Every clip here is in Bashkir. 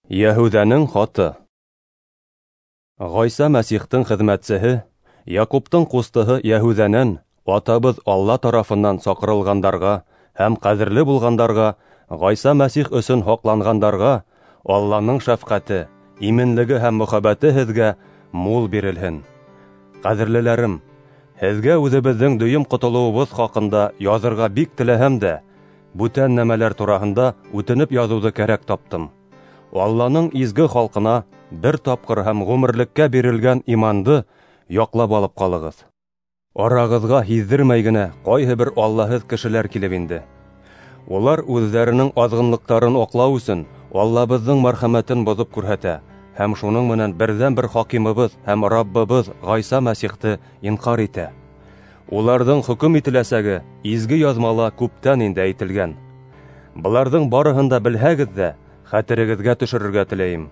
Йәһүҙәнең хаты. Ғайса Мәсихтең хеҙмәтсеһе, Яҡуптың ҡустыһы Йәһүҙәнән атабыҙ Алла тарафынан саҡырылғандарға һәм ҡәҙерле булғандарға, Ғайса Мәсих өсөн һаҡланғандарға Алланың шәфҡәте, именлеге һәм мөхәббәте һеҙгә мул бирелһен. Ҡәҙерлеләрем, һеҙгә үҙебеҙҙең дөйөм ҡотолоуыбыҙ хаҡында яҙырға бик теләһәм дә, бүтән нәмәләр тураһында үтенеп яҙыуҙы кәрәк таптым. Алланың изге халҡына бер тапҡыр һәм ғүмерлеккә бирелгән иманды яҡлап алып ҡалығыҙ. Арағыҙға һиҙҙермәй генә ҡайһы бер аллаһыҙ кешеләр килеп инде. Улар үҙҙәренең аҙғынлыҡтарын аҡлау өсөн Аллабыҙҙың мәрхәмәтен боҙоп күрһәтә һәм шуның менән берҙән-бер хакимыбыҙ һәм Раббыбыҙ Ғайса Мәсихте инҡар итә. Уларҙың хөкөм ителәсәге изге яҙмала күптән инде әйтелгән. Быларҙың барыһын да белһәгеҙ ҙә, хәтерегеҙгә төшөрөргә теләйем.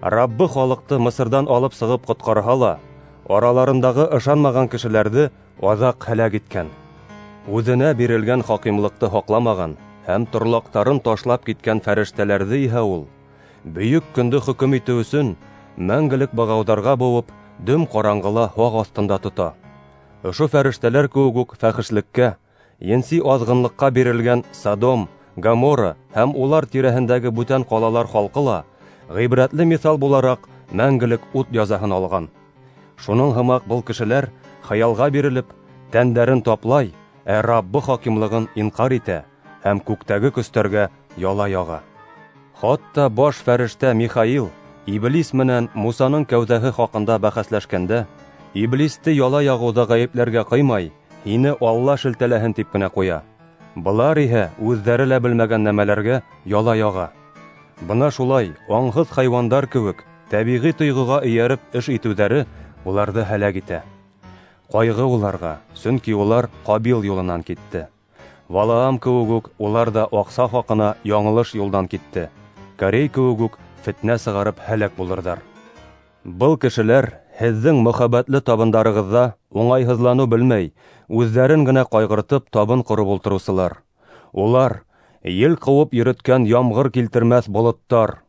Раббы халыҡты Мысырҙан алып сығып ҡотҡарһа ла, араларындағы ышанмаған кешеләрҙе аҙаҡ һәләк иткән. Үҙенә бирелгән хакимлыҡты һаҡламаған һәм торлаҡтарын ташлап киткән фәрештәләрҙе иһә ул, бөйөк көндө хөкөм итеү өсөн мәңгелек бығауҙарға быуып, дөм ҡараңғыла һаҡ аҫтында тота. Ошо фәрештәләр кеүек үк фәхешлеккә, енси аҙғынлыҡҡа бирелгән Содом, Гоморра һәм улар тирәһендәге бүтән ҡалалар халҡы ла ғибрәтле миҫал булараҡ мәңгелек ут язаһын алған. Шуның һымаҡ был кешеләр хыялға бирелеп, тәндәрен таплай, ә Раббы хакимлығын инҡар итә һәм күктәге көстәргә яла яға. Хатта баш фәрештә Михаил Иблис менән Мусаның кәүҙәһе хаҡында бәхәсләшкәндә, Иблисте яла яғыуҙа ғәйепләргә ҡыймай, һине Алла шелтәләһен тип кенә ҡуя. Былар иһә үҙҙәре лә белмәгән нәмәләргә яла яға. Бына шулай аңһыҙ хайуандар кеүек тәбиғи тойғоға эйәреп эш итеүҙәре уларҙы һәләк итә. Ҡайғы уларға, сөнки улар Ҡабил юлынан китте. Валаам кеүек үк улар ҙа аҡса хаҡына яңылыш юлдан китте. Корей кеүек үк фетнә сығарып һәләк булырҙар. Был кешеләр һеҙҙең мөхәббәтле табындарығыҙҙа уңайһыҙланыу белмәй, үҙҙәрен генә ҡайғыртып табын ҡороп ултырыусылар. Улар ел ҡыуып йөрөткән ямғыр килтермәҫ болоттар.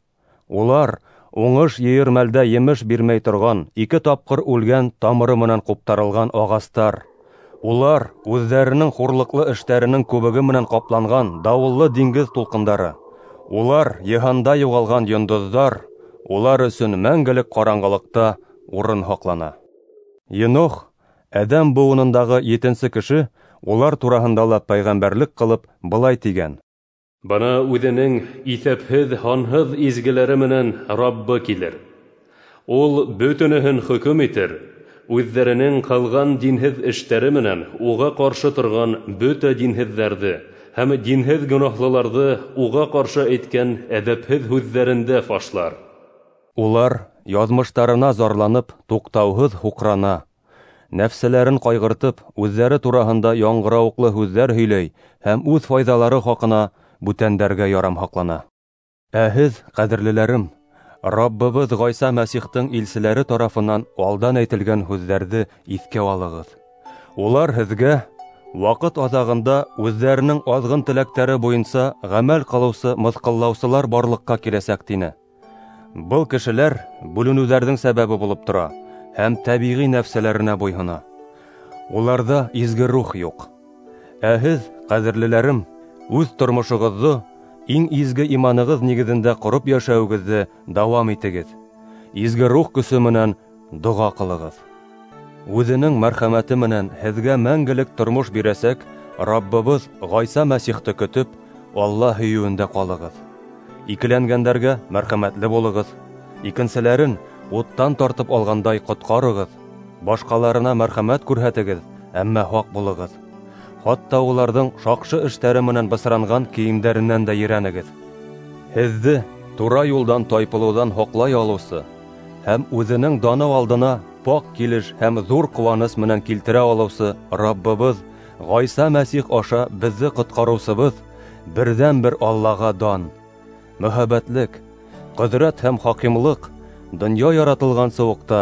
Улар уңыш йыйыр мәлдә емеш бирмәй торған, ике тапҡыр үлгән тамыры менән ҡуптарылған ағастар. Улар үҙҙәренең хурлыҡлы эштәренең күбеге менән ҡапланған дауыллы диңгеҙ тулҡындары. Улар йыһанда юғалған йондоҙҙар. Улар өсөн мәңгелек ҡараңғылыҡта урын һаҡлана. Енох, Әҙәм быуынындағы етенсе кеше, улар тураһында ла пәйғәмбәрлек ҡылып былай тигән: Бына үҙенең иҫәпһеҙ һанһыҙ изгеләре менән Раббы килер. Ул бөтөнөһөн хөкөм итер, үҙҙәренең ҡылған динһеҙ эштәре менән уға ҡаршы торған бөтә динһеҙҙәрҙе һәм динһеҙ гонаһлыларҙы уға ҡаршы әйткән әҙәпһеҙ һүҙҙәрендә фашлар. Улар яҙмыштарына зарланып, туҡтауһыҙ һуҡрана. Нәфселәрен ҡайғыртып, үҙҙәре тураһында яңғырауыҡлы һүҙҙәр һөйләй һәм үҙ файҙалары хаҡына бүтәндәргә ярамһаҡлана. Ә һеҙ, ҡәҙерлеләрем, Раббыбыҙ Ғайса Мәсихтең илселәре тарафынан алдан әйтелгән һүҙҙәрҙе иҫкә алығыҙ. Улар һеҙгә ваҡыт аҙағында үҙҙәренең аҙғын теләктәре буйынса ғәмәл ҡылыусы мыҫҡыллаусылар барлыҡҡа киләсәк тине. Был кешеләр бүленеүҙәрҙең сәбәбе булып тора һәм тәбиғи нәфсәләренә буйһона. Уларҙа изге рух юҡ. Ә һеҙ, ҡәҙерлеләрем, үҙ тормошоғоҙҙо иң изге иманығыҙ нигеҙендә ҡороп йәшәүегеҙҙе дауам итегеҙ. Изге рух көсө менән доға ҡылығыҙ. Үҙенең мәрхәмәте менән һеҙгә мәңгелек тормош бирәсәк Раббыбыҙ Ғайса Мәсихте көтөп, Алла һөйөүендә ҡалығыҙ. Икеләнгәндәргә мәрхәмәтле булығыҙ, икенселәрен уттан тартып алғандай ҡотҡарығыҙ, башҡаларына мәрхәмәт күрһәтегеҙ, әммә һаҡ булығыҙ. Хатта уларҙың шаҡшы эштәре менән бысранған кейемдәренән дә ерәнегеҙ. Һеҙҙе тура юлдан тайпылыуҙан һаҡлай алыусы һәм үҙенең даны алдына паҡ килеш һәм ҙур ҡыуаныс менән килтерә алыусы Раббыбыҙ Ғайса Мәсих аша беҙҙе ҡотҡарыусыбыҙ берҙән-бер Аллаға дан, мөһабәтлек, ҡөҙрәт һәм хакимлыҡ донъя яратылғансы уҡ та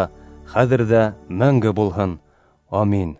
хәҙер ҙә мәңге булһын. Амин.